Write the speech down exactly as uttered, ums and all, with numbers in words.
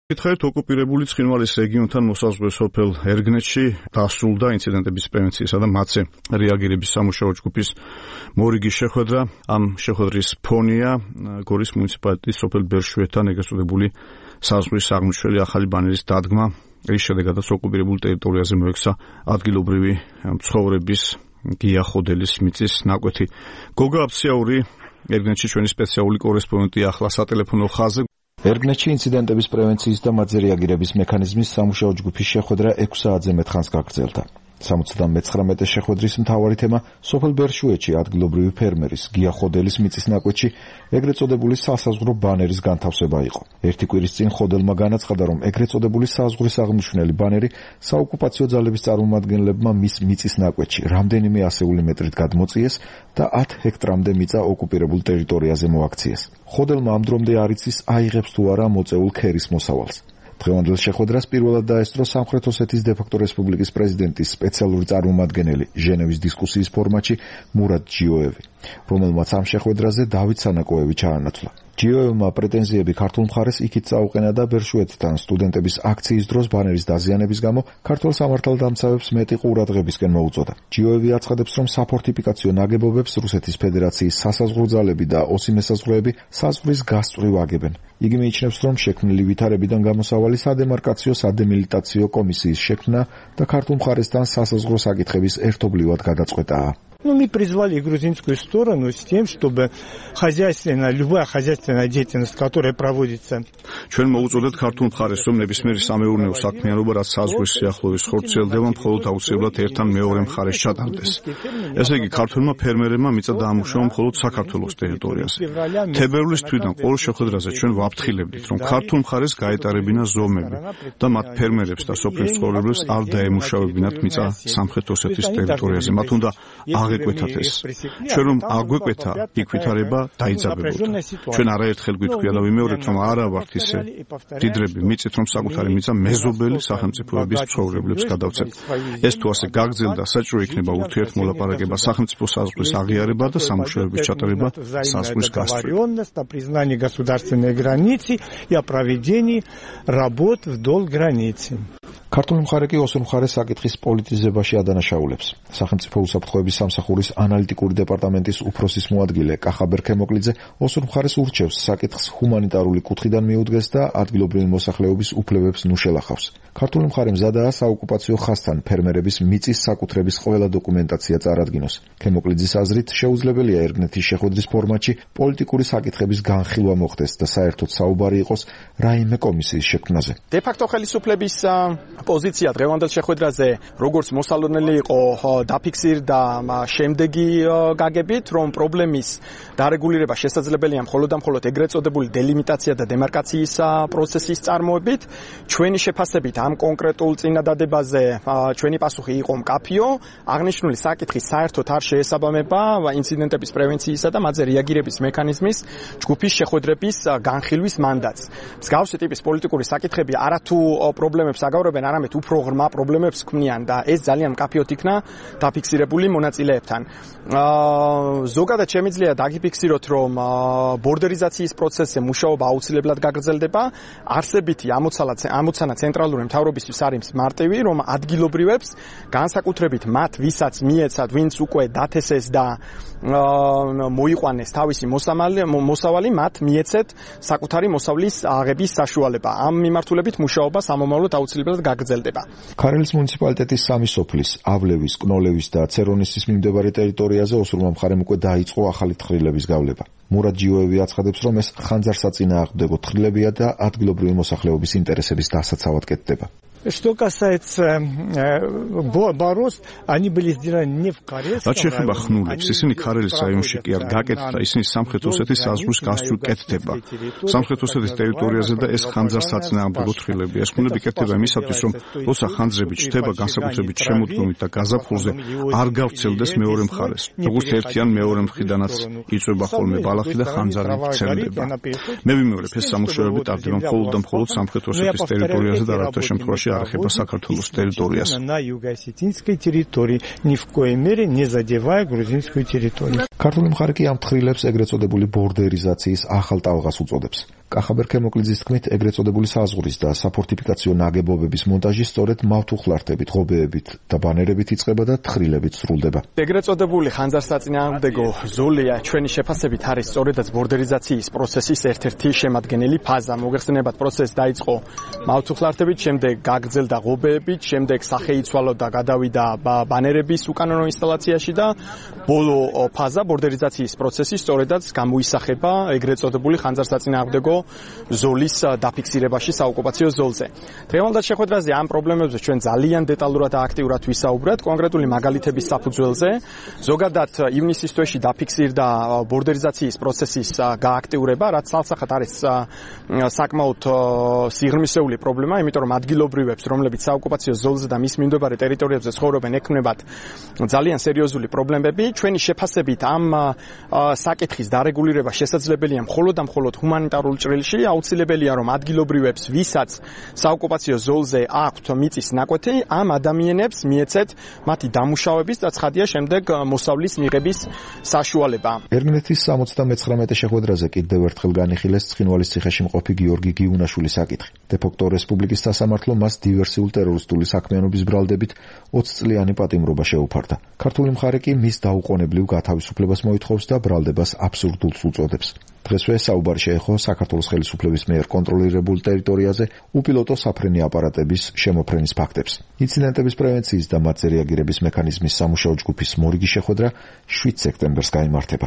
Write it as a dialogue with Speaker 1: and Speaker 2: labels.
Speaker 1: გითხარით, ოკუპირებული ცხინვალის რეგიონთან მოსაზღვრე სოფელ ერგნეთში დასრულდა ინციდენტების პრევენციისა და მათზე რეაგირების სამუშაო ჯგუფის მორიგი შეხვედრა. ამ შეხვედრის ფონია გორის მუნიციპალიტეტის სოფელ ბერშვეთთან ეგრეთ წოდებული საზღვრის აღმშველი ახალი ბანერის დადგმა. რის შედეგადაც ოკუპირებულ ტერიტორიაზე მოექცა ადგილობრივი მცხოვრების გიახოდელის მიწის ნაკვეთი. გოგა აფციური ერგნეთში ჩვენი სპეციალური კორესპონდენტი ახლა სატელეფონო ხაზზე.
Speaker 2: ერგნეთში ინციდენტების პრევენციის და მათზე რეაგირების მექანიზმის სამუშაო ჯგუფის შეხვედრა ექვს საათზე მეტხანს გაგრძელდა. სამოცდამეცხრამეტე შეხვედრის მთავარი თემა სოფელ ბერშვეთში ადგილობრივი ფერმერის გიახოდელის მიწის ნაკვეთში ეგრეთ წოდებული სასაზღვრო ბანერის განთავსება იყო. ერთი კვირის წინ ხოდელმა განაცხადა, რომ ეგრეთ წოდებული საზღვრის აღმნიშვნელი ბანერი საოკუპაციო ძალების წარმომადგენლებმა მის მიწის ნაკვეთში რამდენიმე ასეული მეტრით გადმოწიეს და ათ ჰექტრამდე მიწა ოკუპირებულ ტერიტორიაზე მოაქციეს. ხოდელმა ამ დრომდე არ იცის აიღებს თუ არა მოწეულ ქერის მოსავალს. დღევანდელ შეხვედრას პირველად დაესწრო სამხრეთ ოსეთის დე-ფაქტო რესპუბლიკის პრეზიდენტის სპეციალური წარმომადგენელი ჟენევის დისკუსიის ფორმატში მურად ჯიოევი, რომელმაც ამ შეხვედრაზე დავით სანაკოევი ჩაანაცვლა. ჯიოევმა პრეტენზიები ქართულ მხარეს იქით წაუყენა და ბერშვეთთან სტუდენტების აქციის დროს ბანერის დაზიანების გამო ქართულ სამართალდამცავებს მეტი ყურადღებისკენ მოუწოდა. ჯიოევი აცხადებს, რომ საფორტიფიკაციო ნაგებობებს რუსეთის ფედერაციის სასაზღვრო ძალები და ოსი მესაზღვრეები საზღვრის გასწვრივ აგებენ. იგი მიიჩნევს, რომ შექმნილი ვითარებიდან გამოსავალი სადემარკაციო სადემილიტაციო კომისიის შექმნა და ქართულ მხარესთან სასაზღვრო საკითხების ერთობლივად გადაწყვეტაა.
Speaker 3: Ну, мы призвали грузинскую сторону с тем, чтобы хозяйственная, любая хозяйственная деятельность, которая проводится.
Speaker 1: ჩვენ მოუწოდეთ ქართულ მხარეს, რომ ნებისმიერი სამეურნეო საქმიანობა, რაც საზღვრის სიახლოვეს ხორციელდება, მხოლოდ აუცილებლად ერთთან მეორე მხარეს ჩატარდეს. ესე იგი, ქართველმა ფერმერებმა მიწა დაამუშავა მხოლოდ საქართველოს ტერიტორიაზე. თებერვლის თვიდან ყოველ შეხვედრაზე ჩვენ ვაფრთხილებდით, რომ ქართულ მხარეს გაეტარებინა ზომები და მათ ფერმერებს და სოფლის მცხოვრებლებს არ დაემუშავებინათ მიწა სამხრეთ ოსეთის ტერიტორიაზე. მათ უნდა აგვეკვეთათ ეს. ჩვენ რომ აგვეკვეთა, იქ ვითარება დაიძაბებოდა. ჩვენ არაერთხელ გვითქვია და ვიმეორებთ, რომ არა ვართ ისე დიდრები მიწით, რომ საკუთარი მიწა მეზობელი სახელმწიფოების მცხოვრებლებს გადავცეთ. ეს თუ ასე გაგრძელდა, საჭირო იქნება ურთიერთმოლაპარაკება, სახელმწიფო საზღვრის აღიარება და სამუშაოების ჩატარება საზღვრის გასწვრივ.
Speaker 3: Признание государственной границы и о проведении работ вдоль границы.
Speaker 2: ქართული მხარე კი ოსურ მხარეს საკითხის პოლიტიზებაში ადანაშაულებს. სახელმწიფო უსაფრთხოების სამსახურის ანალიტიკური დეპარტამენტის უფროსის მოადგილე კახაბერ ქემოკლიძე ოსურ მხარეს ურჩევს საკითხს ჰუმანიტარული კუთხიდან მიუდგეს და ადგილობრივი მოსახლეობის უფლებებს ნუ შელახავს. ქართული მხარე მზადაა საოკუპაციო ხაზთან ფერმერების მიწის საკუთრების ყველა დოკუმენტაცია წარადგინოს. ქემოკლიძის აზრით შეუძლებელია ერგნეთის შეხვედრის ფორმატში პოლიტიკური საკითხების განხილვა მოხდეს და საერთოდ საუბარი იყოს რაიმე კომისიის შექმნაზე.
Speaker 4: დე-ფაქტო ხელისუფლების პოზიცია დღევანდელ შეხვედრაზე როგორც მოსალოდნელი იყო დაფიქსირდა შემდეგი გაგებით, რომ პრობლემის დარეგულირება შესაძლებელია მხოლოდ და მხოლოდ ეგრეთ წოდებული დელიმიტაცია და დემარკაციის პროცესის წარმოებით. ჩვენი შეფასებით ამ კონკრეტულ წინადადებაზე ჩვენი პასუხი იყო მკაფიო. აღნიშნული საკითხი საერთოდ არ შეესაბამება ინციდენტების პრევენციისა და მათზე რეაგირების მექანიზმის ჯგუფის შეხვედრების განხილვის მანდატს. მსგავსი ტიპის პოლიტიკური საკითხები არათუ პრობლემებს აგავრებენ, არამედ უფრო ღრმა პრობლემებს ქმნიან და ეს ძალიან მკაფიოდ იქნა დაფიქსირებული მონაწილეებთან. ზოგადად შემიძლია დაგიფიქსიროთ, რომ ბორდერიზაციის პროცესზე მუშაობა აუცილებლად გაგრძელდება. არსებითი ამოცანა ცენტრალური მთავრობისთვის არის მარტივი, რომ ადგილობრივებს განსაკუთრებით მათ, ვისაც მიეცათ, ვინც უკვე დათესეს და მოიყვანეს თავისი მოსავალი, მათ მიეცეთ საკუთარი მოსავლის აღების საშუალება. ამ მიმართულებით მუშაობა სამომავლოდ აუცილებლად გაგრძელდება.
Speaker 2: ქარელის მუნიციპალიტეტის სამი სოფლის, ავლევის, კნოლევის და ცერონისის მიმდებარე ტერიტორიაზე ოსურმა მხარემ უკვე დაიწყო ახალი თხრილების გავლება. მურად ჯიოევი აცხადებს, რომ ეს ხანძარსაწინააღმდეგო თხრილებია და ადგილობრივი მოსახლეობის ინტერესების დასაცავად კეთდება.
Speaker 3: Что касается борос, они были сделаны не в Карелии.
Speaker 1: რაც შეეხება ხნულებს, ისინი ქარელის რაიონში კი არ გაკეთდა, ისინი სამხრეთ ოსეთის საზღვრის გასწვრივ კეთდება. სამხრეთ ოსეთის ტერიტორიაზე და ეს ხანძარსაწინააღმდეგო თხრილებია. ეს ხნულები კეთდება იმისათვის, რომ ოსა ხანძრები ჩნდება განსაკუთრებით შემოდგომით და გაზაფხულზე არ გავრცელდეს მეორე მხარეს. როგორც ერთიან მეორე მხრიდანაც იწვება ხოლმე ბალახი და ხანძარი ვრცელდება. მე ვიმეორებ, ეს სამუშაოები ტარდება მხოლოდ და მხოლოდ სამხრეთ ოსეთის ტერიტორიაზე და რათა შემთხვევაში არ ეხება საქართველოს ტერიტორიას.
Speaker 3: На юго-осетинской территории, ни в коей мере не задевая грузинскую территорию.
Speaker 2: ქართული მხარე კი ამ თხრილებს ეგრეთ წოდებული ბორდერიზაციის ახალ ტალღას უწოდებს. კახაბერ ქემოკლიძის თქმით, ეგრეთ წოდებული საზღვრის და საფორტიფიკაციო ნაგებობების მონტაჟი სწორედ მავთუხლართებით, ღობეებით და ბანერებით იწყება და თხრილებით სრულდება.
Speaker 4: ეგრეთ წოდებული ხანძარსაწინააღმდეგო ზოლია ჩვენი შეფასებით არის სწორედაც ბორდერიზაციის პროცესის ერთ-ერთი შემადგენელი ფაზა. მოგეხსენებათ, პროცესი დაიწყო მავთუხლართებით, შემდეგ გაგრძელდა ღობეებით, შემდეგ სახეიცვალო და გადავიდა ბანერების უკანონო ინსტალაციაში და ბოლო ფაზა ბორდერიზაციის პროცესი სწორედაც გამოისახება ეგრეთ წოდებული ხანძარსაწინააღმდეგო ზოლის დაფიქსირებაში საოკუპაციო ზოლზე. დღევანდელ შეხვედრაზე ამ პრობლემებზე ჩვენ ძალიან დეტალურად და აქტიურად ვისაუბრეთ კონკრეტული მაგალითების საფუძველზე. ზოგადად ივნისის თვეში დაფიქსირდა ბორდერიზაციის პროცესის გააქტიურება, რაც სალსახად არის საკმაოდ სიღრმისეული პრობლემა, იმიტომ რომ ადგილობრივებს, რომლებიც საოკუპაციო ზოლზე და მის მიმდებარე ტერიტორიებზე ცხოვრობენ, ექმნებათ ძალიან სერიოზული პრობლემები. ჩვენი შეფასებით ამ საკითხის დარეგულირება შესაძლებელია მხოლოდ და მხოლოდ ჰუმანიტარულ ჭრილში. აუცილებელია რომ ადგილობრივებს, ვისაც საოკუპაციო ზოლზე აქვთ მიწის ნაკვეთი, ამ ადამიანებს მიეცეთ მათი დამუშავების და ცხადია შემდეგ მოსავლის მიღების საშუალება.
Speaker 2: ერმინეთის სამოცდამეცხრამეტე შეხვედრაზე კიდევ ერთხელ განიხილეს ცხინვალის ციხეში მყოფი გიორგი გიუნაშვილის საკითხი. დე-ფაქტო რესპუბლიკის სასამართლო მას დივერსიული ტერორისტული საქმიანობის ბრალდებით ოცი წლიანი პატიმრობა შეუფარდა. ქართული მხარე კი მის დაუყოვნებლივ გათავისუფლებას მოითხოვს და ბრალდებას აბსურდულს უწოდებს. დღესვე საუბარი შეეხო საქართველოს ხელისუფლების მიერ კონტროლირებულ ტერიტორიაზე უპილოტო საფრენი აპარატების შემოფრენის ფაქტებს. ინციდენტების პრევენციის და მათზე რეაგირების მექანიზმის სამუშაო ჯგუფის მორიგი შეხვედრა შვიდ სექტემბერს გაიმართება.